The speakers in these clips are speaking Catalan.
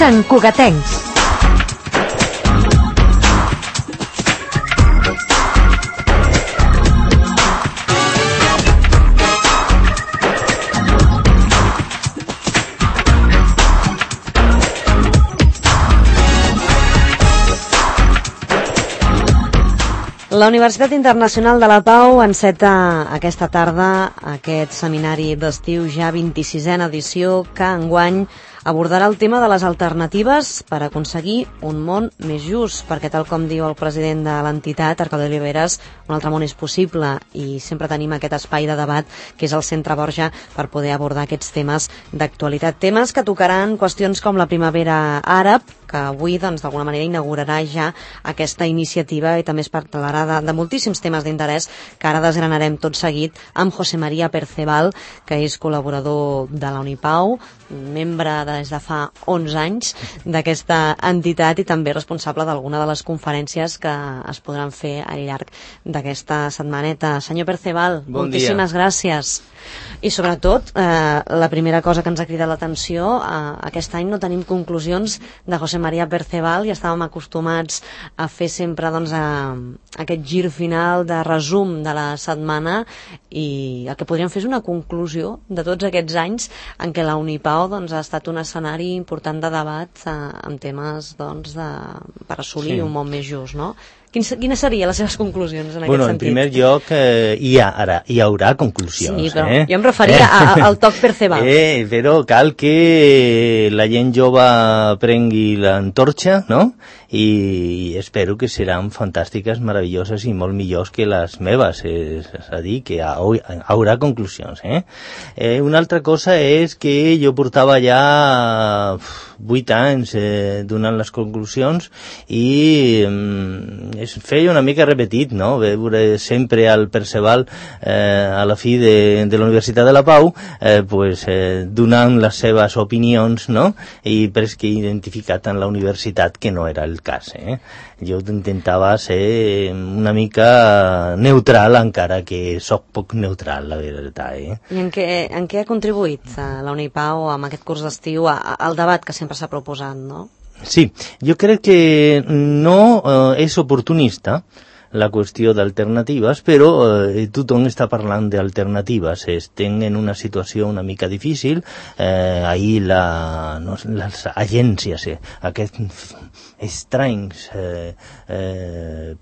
Sant Cugatencs. La Universitat Internacional de la Pau enceta aquesta tarda aquest seminari d'estiu, ja 26a edició, que enguany abordarà el tema de les alternatives per aconseguir un món més just, perquè tal com diu el president de l'entitat, Arcadi Oliveres, un altre món és possible i sempre tenim aquest espai de debat que és el Centre Borja per poder abordar aquests temes d'actualitat. Temes que tocaran qüestions com la primavera àrab, que avui d'alguna manera inaugurarà ja aquesta iniciativa i també es parlarà de moltíssims temes d'interès que ara desgranarem tot seguit amb José María Perceval, que és col·laborador de la Unipau, membre des de fa 11 anys d'aquesta entitat i també responsable d'alguna de les conferències que es podran fer al llarg d'aquesta setmaneta. Senyor Perceval, moltíssimes gràcies. I sobretot, la primera cosa que ens ha cridat l'atenció, aquest any no tenim conclusions de José María Perceval i estàvem acostumats a fer sempre aquest gir final de resum de la setmana i el que podríem fer és una conclusió de tots aquests anys en què la Unipau ha estat un escenari important de debat en temes per assolir un món més just, no? Quines serien les seves conclusions en aquest sentit? En primer lloc, hi haurà conclusions. Sí, però jo em referia al toc Perceval. Però cal que la gent jove prengui l'antorxa, no? I espero que seran fantàstiques, meravelloses i molt millors que les meves, és a dir, que haurà conclusions. Una altra cosa és que jo portava ja 8 anys donant les conclusions i es feia una mica repetit, no? Veure sempre al Perceval a la fi de la Universitat de la Pau donant les seves opinions, no? I que identificat en la universitat que no era el cas. Jo intentava ser una mica neutral, encara que soc poc neutral, la veritat. I en què ha contribuït la Unipau amb aquest curs d'estiu al debat que sempre s'ha proposat, no? Sí, jo crec que no és oportunista la qüestió d'alternatives, però tothom està parlant d'alternatives. Estem en una situació una mica difícil. Ahir les agències, aquest estrany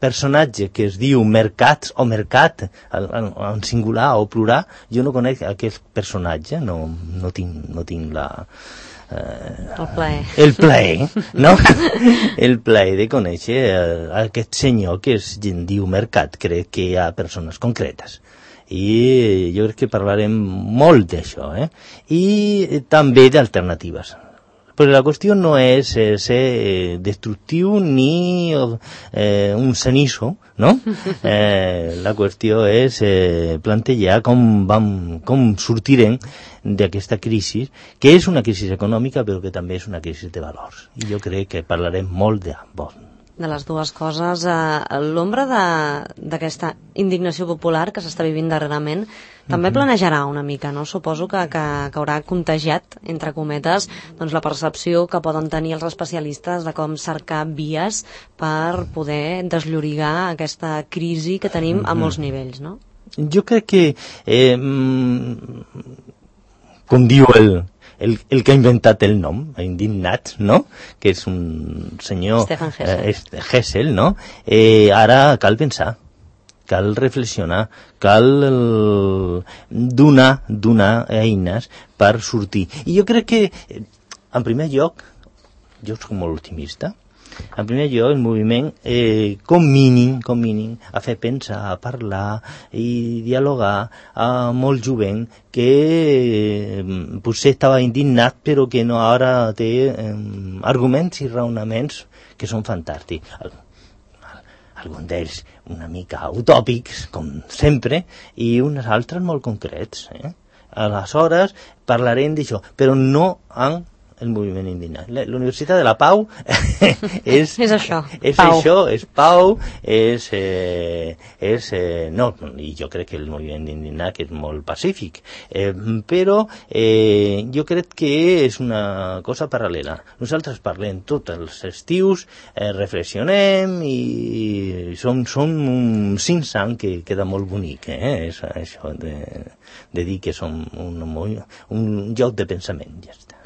personatge que es diu mercats o mercat, en singular o plural, jo no conec aquest personatge, no tinc la... el plaer, no? El plaer de conèixer aquest senyor que es diu mercat. Crec que hi ha persones concretes i jo crec que parlarem molt d'això, i també d'alternatives. Però la qüestió no és ser destructiu ni un cenizo, no? La qüestió és plantejar com sortirem d'aquesta crisi, que és una crisi econòmica però que també és una crisi de valors. I jo crec que parlarem molt de les dues coses. L'ombra d'aquesta indignació popular que s'està vivint darrerament també planejarà una mica, no? Suposo que haurà contagiat, entre cometes, la percepció que poden tenir els especialistes de com cercar vies per poder desllorigar aquesta crisi que tenim a molts nivells, no? Jo crec que com diu el que ha inventat el nom, indignat, no? Que és un senyor... Stefan Hessel, no? Ara cal pensar, cal reflexionar, cal donar eines per sortir. I jo crec que, en primer lloc, jo soc molt optimista, en primer lloc, el moviment, com mínim, a fer pensar, a parlar i dialogar a molt jovent que potser estava indignat però que no ara té arguments i raonaments que són fantàstics. Alguns d'ells una mica utòpics, com sempre, i uns altres molt concrets. Aleshores parlarem d'això, però no amb el moviment indignat. La Universitat de la Pau és això, és pau. Això, és pau, no, i jo crec que el moviment indignat és molt pacífic, però jo crec que és una cosa paral·lela. Nosaltres parlem tots els estius, reflexionem i som un sinsang que queda molt bonic, és això de dir que som un lloc de pensament, ja està.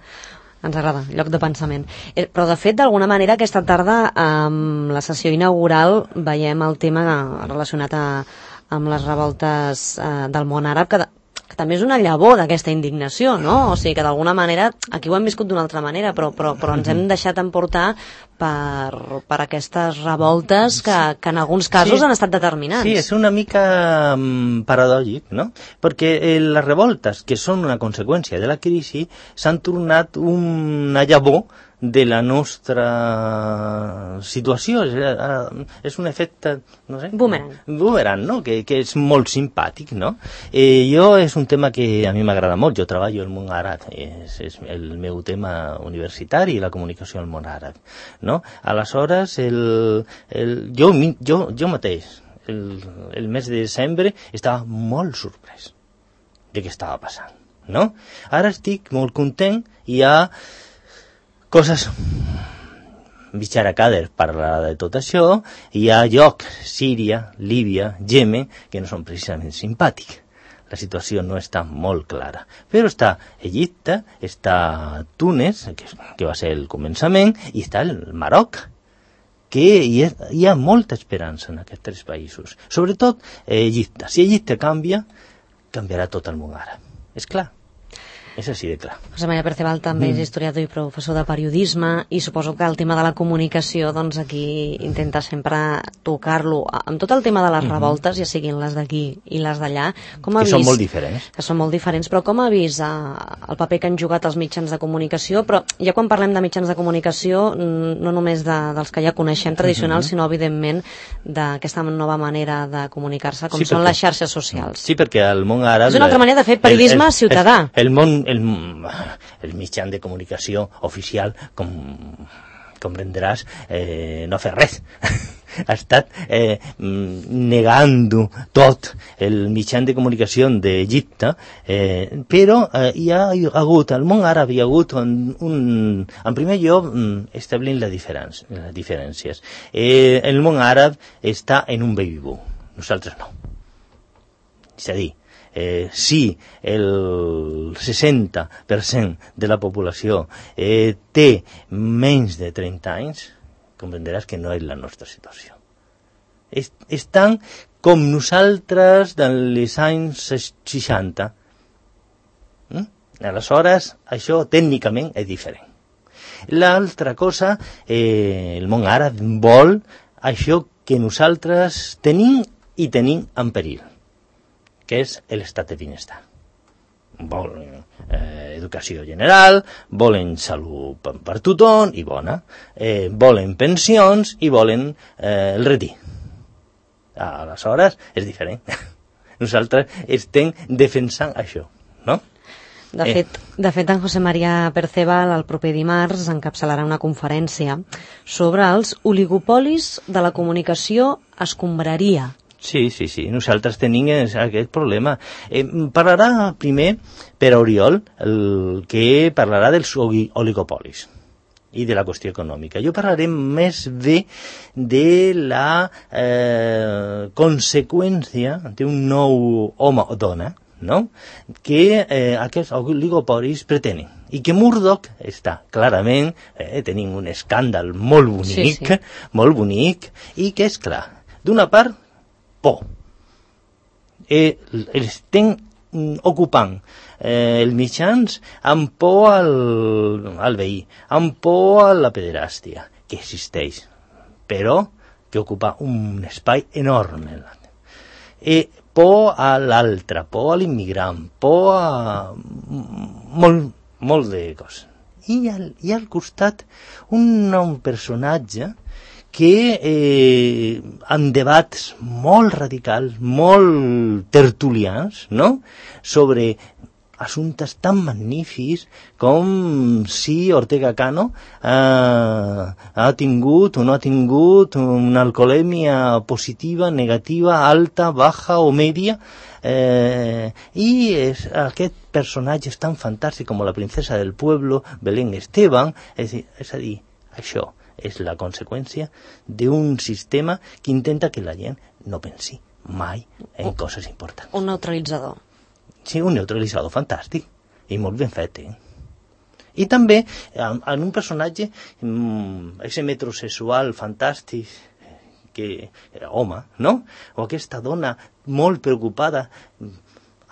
Ens agrada, lloc de pensament. Però, de fet, d'alguna manera, aquesta tarda, amb la sessió inaugural, veiem el tema relacionat amb les revoltes del món àrab, que també és una llavor d'aquesta indignació, no? O sigui que d'alguna manera, aquí ho hem viscut d'una altra manera, però ens hem deixat emportar per aquestes revoltes que en alguns casos han estat determinants. Sí, és una mica paradògic, no? Perquè les revoltes, que són una conseqüència de la crisi, s'han tornat una llavor de la nostra situació. És un efecte, no sé... Boomerang, no? Que és molt simpàtic, no? És un tema que a mi m'agrada molt. Jo treballo al món àrab. És el meu tema universitari, la comunicació al món àrab, no? Aleshores, jo mateix, el mes de desembre, estava molt sorprès de què estava passant, no? Ara estic molt content i hi ha coses bitxaracades parlar de tot això. Hi ha llocs, Síria, Líbia, Yemen, que no són precisament simpàtics. La situació no està molt clara. Però està Egipte, està Túnez, que va ser el començament, i està el Marroc, que hi ha molta esperança en aquests tres països. Sobretot Egipte. Si Egipte canvia, canviarà tot el món àrab. És clar. És així de clar. José María Perceval també és historiador i professor de periodisme, i suposo que el tema de la comunicació, doncs aquí intenta sempre tocar-lo. Amb tot el tema de les revoltes, ja siguin les d'aquí i les d'allà, com ha vist... Que són molt diferents. Que són molt diferents, però com ha vist el paper que han jugat els mitjans de comunicació? Però ja quan parlem de mitjans de comunicació, no només dels que ja coneixem tradicionals, sinó, evidentment, d'aquesta nova manera de comunicar-se, com són les xarxes socials. Sí, perquè el món àrab... És una altra manera de fer periodisme ciutadà. El mitjà de comunicació oficial, com comprendràs, no ha fet res. Ha estat negant tot el mitjà de comunicació d'Egipte, però hi ha hagut, al món àrab hi ha hagut en primer lloc establint les diferències. El món àrab està en un baby boom, nosaltres no. És a dir, si el 60% de la població té menys de 30 anys, comprendràs que no és la nostra situació. Estan com nosaltres dels anys 60. Aleshores, això tècnicament és diferent. L'altra cosa, el món àrab vol això que nosaltres tenim en perill, que és l'estat de benestar. Volen educació general, volen salut per tothom i bona, volen pensions i volen el retir. Aleshores és diferent. Nosaltres estem defensant això, no? De fet, en José María Perceval el proper dimarts encapçalarà una conferència sobre els oligopolis de la comunicació escombraria. Sí, nosaltres tenim aquest problema. Parlarà primer per Oriol, que parlarà dels oligopolis i de la qüestió econòmica. Jo parlaré més bé de la conseqüència d'un nou home o dona, no? Que aquests oligopolis pretenen. I que Murdoch està clarament, tenim un escàndal molt bonic, i que és clar, d'una part, por. Estem ocupant els mitjans amb por al veí, amb por a la pederàstia, que existeix, però que ocupa un espai enorme. Por a l'altre, por a l'immigrant, por a molt de coses. I al costat un personatge que en debats molt radicals, molt tertulians, no?, sobre assumptes tan magnífics com si Ortega Cano ha tingut o no ha tingut una alcoholèmia positiva, negativa, alta, baja o media, i aquest personatge és tan fantàstic com la princesa del pueblo, Belén Esteban, és a dir, això és la conseqüència d'un sistema que intenta que la gent no pensi mai en coses importants. Un neutralitzador. Sí, un neutralitzador fantàstic i molt ben fet, I també en un personatge, ese metrosexual fantàstic, home, no? O aquesta dona molt preocupada.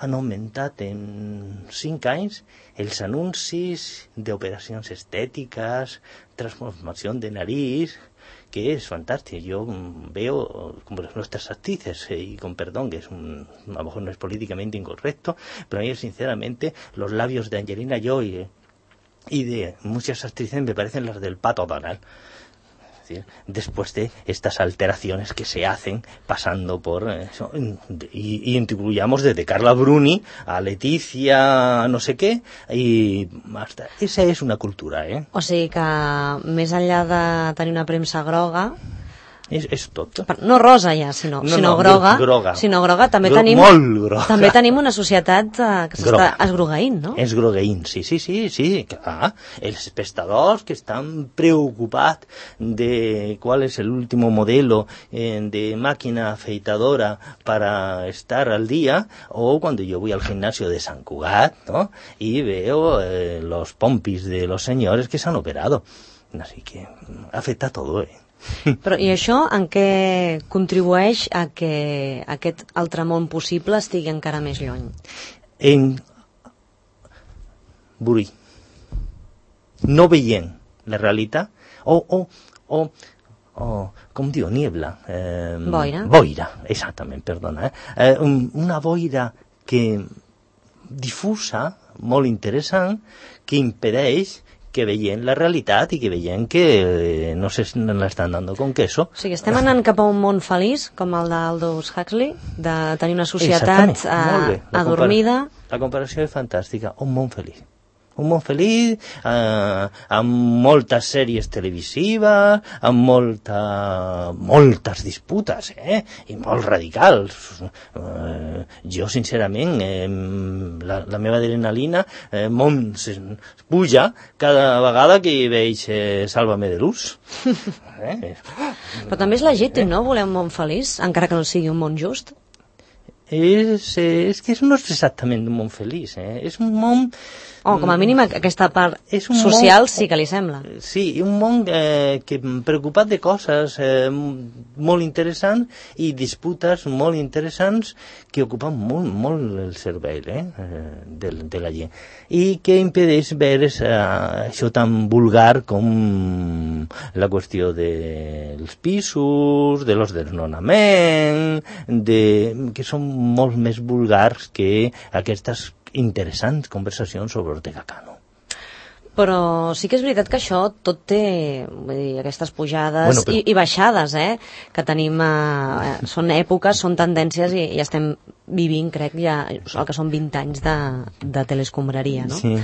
Han augmentat en 5 anys els anuncis d'operacions estètiques, transformació de nariz, que és fantàstic. Jo veo como las nuestras actrices, y con perdón, que a lo mejor no es políticamente incorrecto, pero a mí sinceramente los labios de Angelina Jolie y de muchas actrices me parecen las del Pato Donald. Después de estas alteraciones que se hacen pasando por eso, y incluyamos desde Carla Bruni a Leticia no sé què, i hasta esa és una cultura, O sigui que més enllà de tenir una premsa groga, és tot. No rosa ja, sinó groga. Sinó groga. També tenim una societat que s'està esgrogueint, no? Esgrogueint, sí, clar. Els espectadors que estan preocupats de cuál es el último modelo de máquina afeitadora para estar al día, o cuando yo voy al gimnasio de Sant Cugat, ¿no? Y veo los pompis de los señores que s'han operado. Así que afecta todo, Però i això en què contribueix a que aquest altre món possible estigui encara més lluny? En Burí, no veient la realitat, com diu, niebla. Boira, exactament, perdona. Una boira que difusa, molt interessant, que impedeix que veient la realitat i que veient que no l'estan dando con queso. O sigui, estem anant cap a un món feliç, com el d'Aldous Huxley, de tenir una societat adormida. La comparació és fantàstica, un món feliç. Un món feliç, amb moltes sèries televisives, amb moltes disputes, i molt radicals. Jo, sincerament, la meva adrenalina puja cada vegada que veig Sálvame de Luz. Però també és legítim, no?, voler un món feliç, encara que no sigui un món just. És que no és exactament un món feliç, és un món... com a mínim aquesta part social sí que li sembla. Sí, un món que preocupat de coses molt interessants i disputes molt interessants que ocupen molt el cervell de la gent, i que impedeix veure això tan vulgar com la qüestió dels pisos, de los desnonaments, que són molt més vulgars que aquestes interessants conversacions sobre Ortega Cano. Però sí que és veritat que això tot té, vull dir, aquestes pujades i baixades, que tenim, són èpoques, són tendències i estem vivint, crec, ja el que són 20 anys de telescombraria, no? Sí,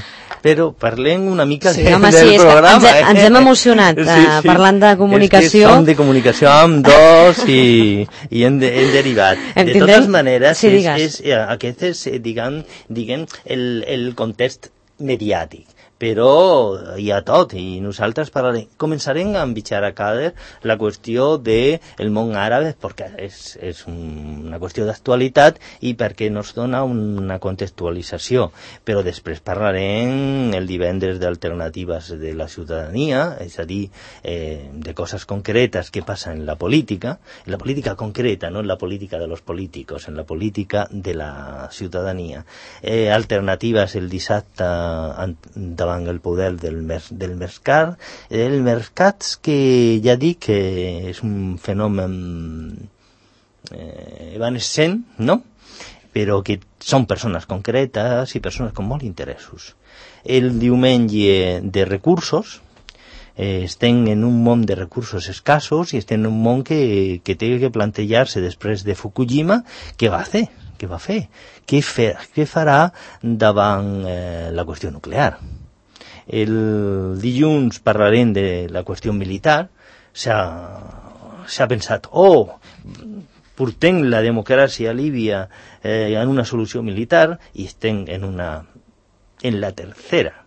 però parlem una mica del programa. Ens hem emocionat parlant de comunicació. És que som de comunicació amb dos i hem derivat. De totes maneres, aquest és, diguem, el context mediàtic. Però hi ha tot, i nosaltres començarem a envitjar a Kader la qüestió del món àrab, perquè és una qüestió d'actualitat i perquè nos dona una contextualització, però després parlarem el divendres d'alternatives de la ciutadania, és a dir, de coses concretes que passen en la política concreta, no en la política de los políticos, en la política de la ciutadania. Alternatives el dissabte davant el poder del mercat, que ja dic que és un fenomen evanescent, no? Però que són persones concretes i persones amb molts interessos. El diumenge de recursos, estem en un món de recursos escassos i estem en un món que té que plantejar-se després de Fukushima què va fer, què va fer? Què farà davant la qüestió nuclear? El dilluns parlarem de la qüestió militar. S'ha pensat, portem la democràcia a Líbia en una solució militar i estem en la tercera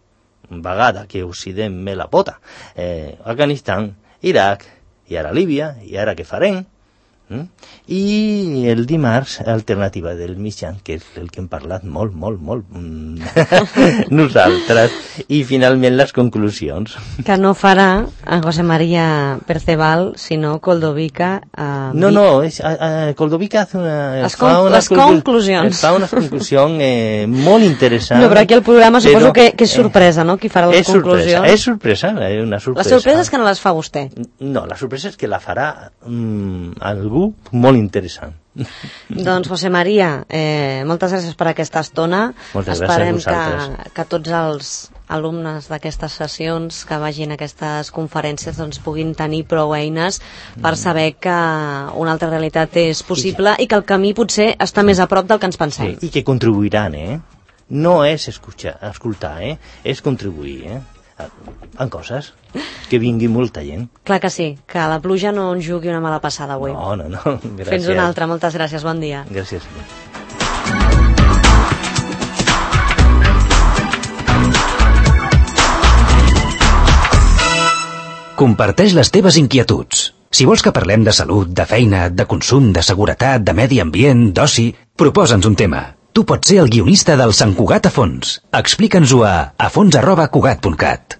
vegada que Occident me la pota. Afganistan, Iraq, i ara Líbia, i ara què farem? I el dimarts, alternativa del mitjan, que és el que hem parlat molt nosaltres, i finalment les conclusions. Que no farà en José María Perceval, sinó Coldovica. Coldovica fa unes conclusions molt interessants. No, però aquí el programa suposo que és sorpresa, no?, qui farà les conclusions. És sorpresa, una sorpresa. La sorpresa és que no les fa vostè. No, la sorpresa és que la farà algú molt interessant. Doncs, José María, moltes gràcies per aquesta estona. Moltes gràcies a vosaltres. Esperem que tots els alumnes d'aquestes sessions que vagin a aquestes conferències doncs puguin tenir prou eines per saber que una altra realitat és possible i que el camí potser està més a prop del que ens pensem. I que contribuiran, No és escoltar, és contribuir, en coses, que vingui molta gent. Clar que sí, que la pluja no ens jugui una mala passada avui. No, gràcies. Fins una altra, moltes gràcies, bon dia. Gràcies. Comparteix les teves inquietuds. Si vols que parlem de salut, de feina, de consum, de seguretat, de medi ambient, d'oci, proposa'ns un tema. Tu pots ser el guionista del Sant Cugat a fons. Explica'ns-ho a fons@cugat.cat.